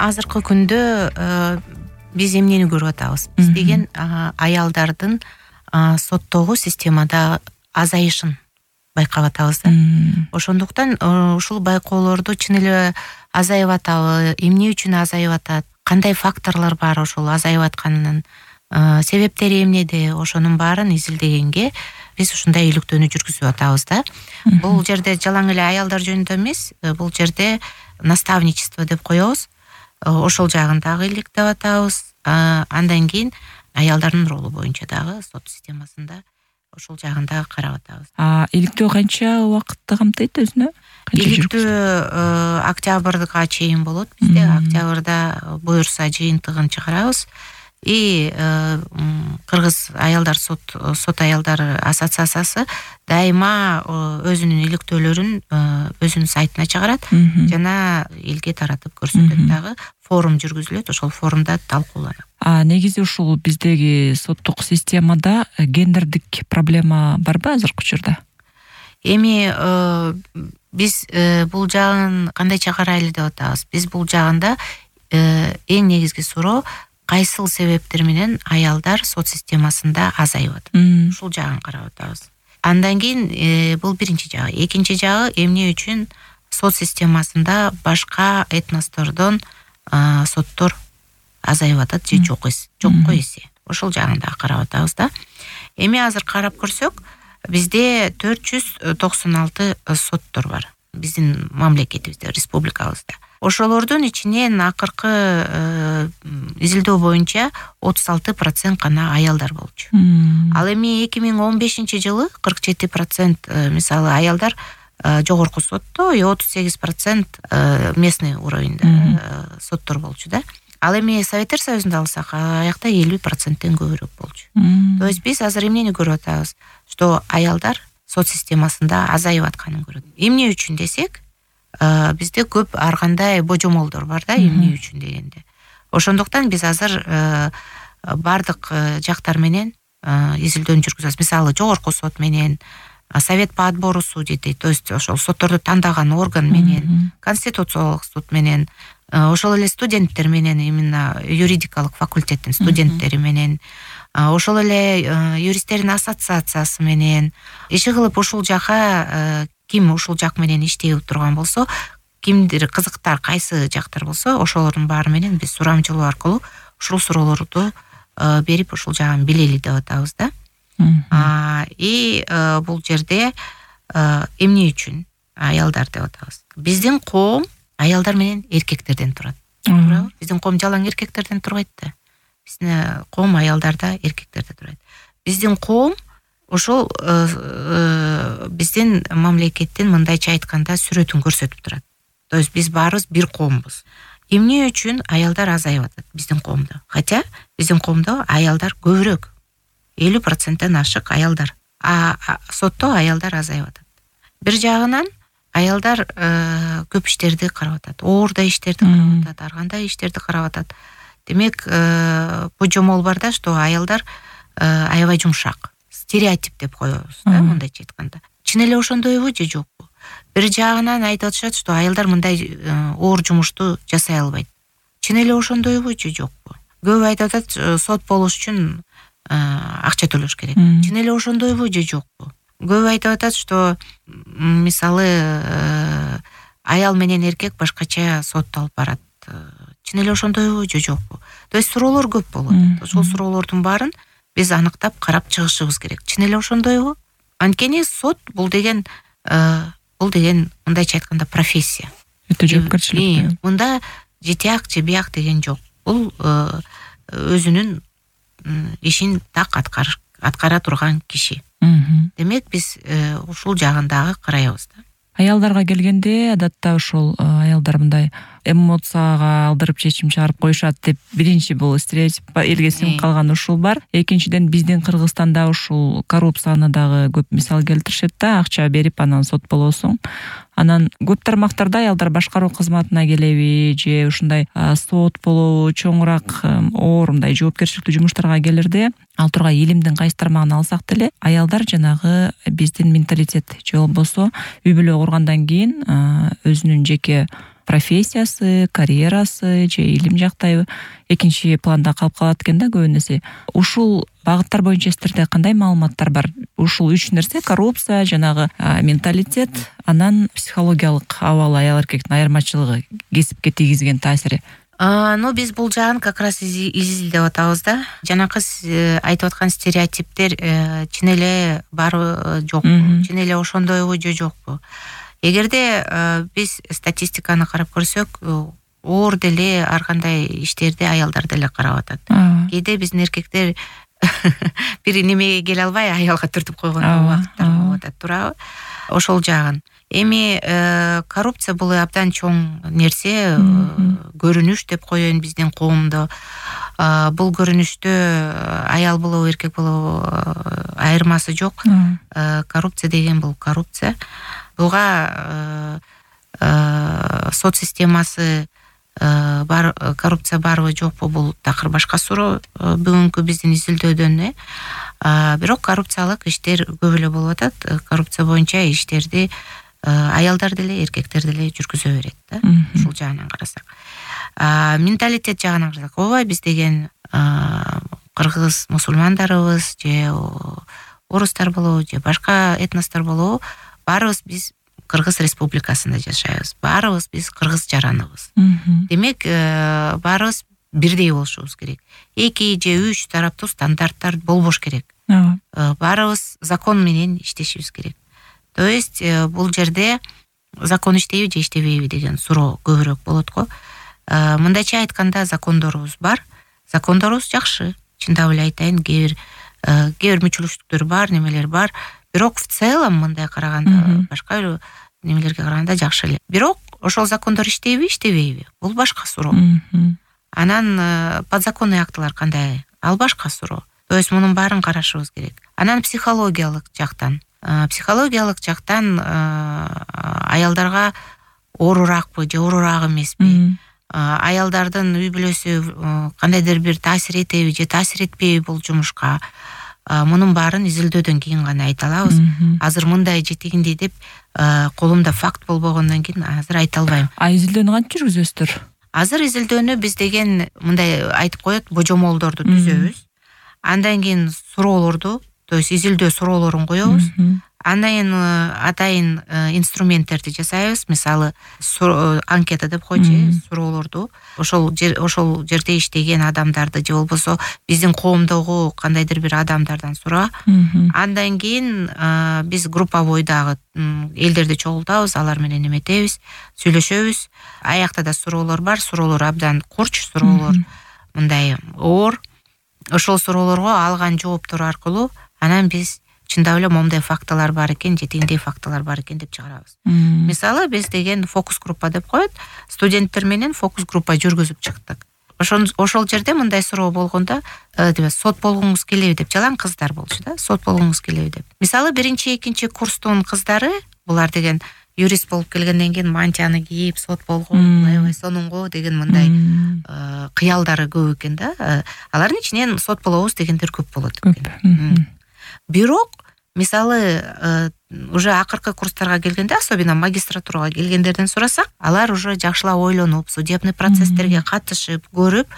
азыркы күндө биз эмнени көрүп атабыз? Биз деген аялдардын соттогу системада азайышын байкап атабыз да. Ошондуктан ушул байкоолорду чын эле азайып атабы, эмне үчүн азайып атат, кандай факторлор бар ошол азайып атканынын себептери эмнеде, ошонун баарын изилдегенге биз ушундай иликтөөнү жүргүзүп атабыз да. Бул жерде жалаң эле аялдар жөнүндө эмес, бул жерде наставничество деп коебуз. Ошол жагын дагы иликтеп атабыз. Андан кийин аялдардын ролу боюнча дагы сот системасында ошол жагын дагы карап атабыз. Иликтөө канча убакытты камтыйт өзүнө? Иликтөө октябрга чейин болот. Бизде октябрда буюрса жыйынтыгын чыгарабыз. И Кыргыз аялдар сот аялдар ассоциациясы дайыма өзүнүн иликтөөлөрүн өзүнүн сайтына чыгарат жана элге таратып көрсөтөт дагы. Форум жүргүзүлөт, ошол форумда талкууланат. Негизи ушул биздеги соттук системада гендердик проблема барбы азыркы учурда? Эми биз бул жагын кандайча карайлы деп атабыз? Биз бул жагында эң негизги суроо кайсыл себептер менен аялдар сот системасында азайып атат? Ушул жагын карап атабыз. Андан кийин бул биринчи жагы. Экинчи жагы эмне үчүн сот системасында башка этностордон соттор азайып атат же жокко эсе. Ошол жагын да карап атабыз да. Эми азыр карап көрсөк, бизде 496 соттор бар. Биздин мамлекетибизде, республикабызда. Ошолордун ичинен акыркы изилдөө боюнча 36% гана аялдар болчу. Ал эми 2015 жылы 47% мисалы аялдар жогорку сотто, 38% местный уровеньде соттор болчу да. Ал эми Советтер Союзунда алсак, аякта 50%тен көбүрөөк болчу. То есть биз азыр эмнени көрүп атабыз? Что аялдар сот системасында азайып атканын көрөт. Эмне үчүн десек, бизде көп ар кандай божомолдор бар да, эмне үчүн дегенде. Ошондуктан биз азыр бардык жактар менен изилдөөнү жүргүзөбүз. Мисалы, жогорку сот менен, Совет по отбору судей, то есть ошол сотторду тандаган орган менен, Конституциялык суд менен, ошол эле студенттер менен, именно юридикалык факультеттин студенттери менен, ошол эле юристтердин ассоциациясы менен иши кылып ушул жака ким ушул жак менен иштеп турган болсо, кимдир кызыктар кайсы жактар болсо, ошолордун баары менен биз сурамжылоо аркылуу ушул суроолорду берип ушул жагын билели деп атабыз да. И бул жерде эмне үчүн аялдар деп атабыз? Биздин коом аялдар менен эркектерден турат. Туурабы? Биздин коом жалаң эркектерден турбайт да. Биздин коом аялдарда, эркектерде турат. Биздин коом ошол биздин мамлекеттин мындайча айтканда сүрөтүн көрсөтүп турат. То есть биз баарыбыз бир коомбуз. Эмне үчүн аялдар азайып атат биздин коомдо? Хотя биздин коомдо аялдар көбүрөөк. 50%тен ашык аялдар. Сотто аялдар азайып атат. Бир жагынан аялдар көп иштерди карап атат. Оорда иштерди карап атат, ар кандай иштерди карап атат. Демек, божомол бар да, что аялдар аябай жумшак. Стереотип деп коебуз да, мындайча айтканда. Чын эле ошондойбу же жокпу? Бир жагынан айтып атышат, что аялдар мындай оор жумушту жасай албайт. Чын эле ошондойбу же жокпу? Көп айтып атат, сот болуш үчүн акча төлөш керек. Чын эле ошондойбу же жокпу? Көп айтып атат, что мисалы аял менен эркек башкача соттолуп барат. Чын эле ошондойбу же жокпу? То есть суроолор көп болот. Ошол суроолордун баарын биз аныктап карап чыгышыбыз керек. Чын эле ошондойбу? Анткени сот бул деген мындайча айтканда профессия. Өтө жоопкерчиликтүү. Мында жетияк же бияк деген жок. Бул өзүнүн ишин так аткара турган киши. Демек, биз ушул жагындагы карайбыз да. Аялдарга келгенде адатта ошол аялдар мындай эмоцияга алдырып чечим чыгарып коюшат деп биринчи бул стереотип элге сиңип калган ушул бар. Экинчиден биздин Кыргызстанда ушул коррупцияны дагы көп мисал келтиришет да, акча берип анан сот болосуң. Анан көп тармактарда аялдар башкаруу кызматына келеби же ушундай сот болобу, чоңураак оор мындай жоопкерчиликтүү жумуштарга келирде, ал тургай илимдин кайсы тармагын алсак деле, аялдар жанагы биздин менталитет же болбосо үй бүлө кургандан кийин өзүнүн жеке профессиясы, карьерасы же илим жактайбы экинчи планда калып калат экен да көп нерсе. Ушул багыттар боюнча сиздерде кандай маалыматтар бар? Ушул 3 нерсе: коррупция, жанагы менталитет, анан психологиялык абалы, аял эркектин айырмачылыгы, кесипке тийгизген таасири. Биз бул жагын как раз изилдеп атабыз да. Жанакы айтып аткан стереотиптер чын эле барбы жокпу, чын эле ошондойбу же жокпу? Эгерде биз статистиканы карап көрсөк, оор деле ар кандай иштерди аялдар деле карап атат. Кээде биздин эркектер бир немеге келе албай аялга түртүп койгон убакыттар болуп атат, туурабы? Ошол жагын. Эми коррупция бул абдан чоң нерсе, көрүнүш деп коеюн биздин коомдо. Бул көрүнүштө аял болобу, эркек болобу айырмасы жок. Коррупция деген бул коррупция. Буга сот системасы бар, коррупция барбы жокпу, бул такыр башка суроо бүгүнкү биздин изилдөөдөн. Бирок коррупциялык иштер көп эле болуп атат. Коррупция боюнча иштерди аялдар деле, эркектер деле жүргүзө берет да. Ушул жагынан карасак. Менталитет жагынан карасак, ооба биз деген кыргыз мусулмандарыбыз же орустар болобу же башка этностор болобу, баарыбыз биз Кыргыз Республикасында жашайбыз. Баарыбыз биз кыргыз жараныбыз. Демек, баарыбыз бирдей болушубуз керек. 2 же 3 тараптуу стандарттар болбош керек. Баарыбыз закон менен иштешибиз керек. То есть бул жерде закон иштейби же иштебейби деген суроо көбүрөөк болот го. Мындайча айтканда, закондорубуз бар. Закондорубуз жакшы. Чындап эле айтайын, кээ бир мүчүлүштүктөр бар, немелер бар. Бирок в целом мындай караганда, башка немелерге караганда жакшы эле. Бирок ошол закондор иштейби, иштебейби? Бул башка суроо. Анан подзаконный актылар кандай? Ал башка суроо. То есть мунун баарын карашыбыз керек. Анан психологиялык жактан аялдарга оорураакпы же оорураак эмеспи? Аялдардын үй бүлөсү кандайдыр бир таасир этеби же таасир этпейби бул жумушка? Мунун баарын изилдөөдөн кийин гана айта алабыз. Азыр мындай же тигиндей деп колумда факт болбогондон кийин азыр айта албайм. Изилдөөнү кантип жүргүзөсүздөр? Азыр изилдөөнү биз деген мындай айтып коет, божомолдорду түзөбүз. Андан кийин суроолорду, то есть изилдөө суроолорун коебуз. Андан кийин атайын инструменттерди жасайбыз. Мисалы, анкета деп койчу, суроолорду. Ошол жерде иштеген адамдарды же болбосо биздин коомдогу кандайдыр бир адамдардан сура. Андан кийин биз групповой дагы элдерди чогултабыз, алар менен эметебиз, сүйлөшөбүз. Аякта да суроолор бар, суроолор абдан курч, суроолор мындай оор. Ошол суроолорго алган жооптор аркылуу анан биз чындап эле момундай фактылар бар экен, же тигиндей фактылар бар экен деп чыгарабыз. Мисалы, биз деген фокус группа деп коет, студенттер менен фокус группа жүргүзүп чыктык. Ошол жерде мындай суроо болгондо, сот болгоңуз келеби деп, жалаң кыздар болчу да, сот болгоңуз келеби деп. Мисалы, 1-2 курстун кыздары, булар деген юрист болуп келгенден кийин мантияны кийип, сот болгон, аябай сонунго деген мындай кыялдары көп экен да. Алардын ичинен сот болобуз дегендер көп болот экен. Бирок, мисалы, уже акыркы курстарга келгенде, особенно магистратурага келгендерден сурасак, алар уже жакшылап ойлонуп, судебный процесстерге катышып, көрүп,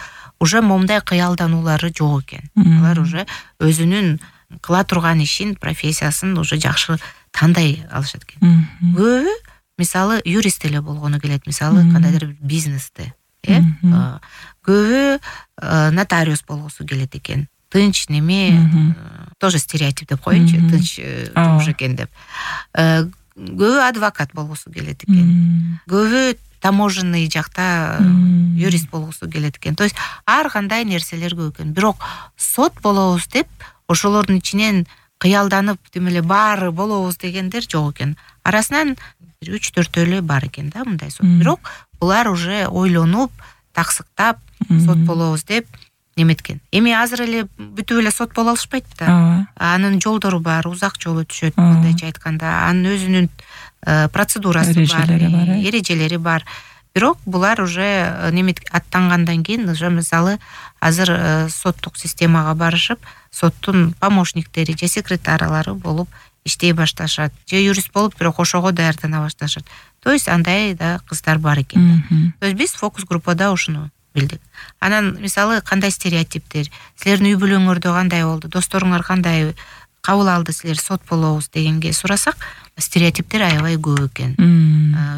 уже момундай кыялдануулары жок экен. Алар уже өзүнүн кыла турган ишин, профессиясын уже жакшы тандай алышат экен. Көбү, мисалы, юрист эле болгону келет, мисалы, кандайдыр бизнесте. Көбү нотариус болгусу келет экен. Тынч неме, тоже стереотип деп коеюнчу, тынч жумуш экен деп. Көбү адвокат болгусу келет экен. Көбү таможенный жакта юрист болгусу келет экен. То есть ар кандай нерселер көп экен. Бирок сот болобуз деп, ошолордун ичинен кыялданып, демеле баары болобуз дегендер жок экен. Арасынан 3-4 эле бар экен да мындай сот. Бирок булар уже ойлонуп, таксыктап, сот болобуз деп неметкен. Эми азыр эле бүтүп эле сот боло алышпайт да. Анын жолдору бар, узак жол өтүшөт, мындайча айтканда. Анын өзүнүн процедурасы бар, эрежелери бар. Бирок булар уже аттангандан кийин, уже мисалы, азыр соттук системага барышып, соттун помощниктери же секретарлары болуп иштей башташат, же юрист болуп бирок ошого даярдана башташат. То есть андай да кыздар бар экен. То есть биз фокус группада ушуну билдик. Анан мисалы кандай стереотиптер, силердин үй бүлөңөрдө кандай болду, досторуңар кандай кабыл алды силер сот болобуз дегенге сурасак, стереотиптер аябай көп экен.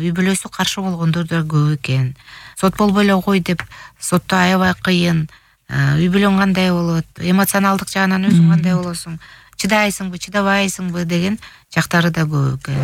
Үй бүлөсү каршы болгондор да көп экен. Сот болбой эле кой деп, сотто аябай кыйын. Үй бүлөң кандай болот, эмоционалдык жагынан өзүң кандай болосуң, чыдайсыңбы, чыдабайсыңбы деген жактары да көп экен.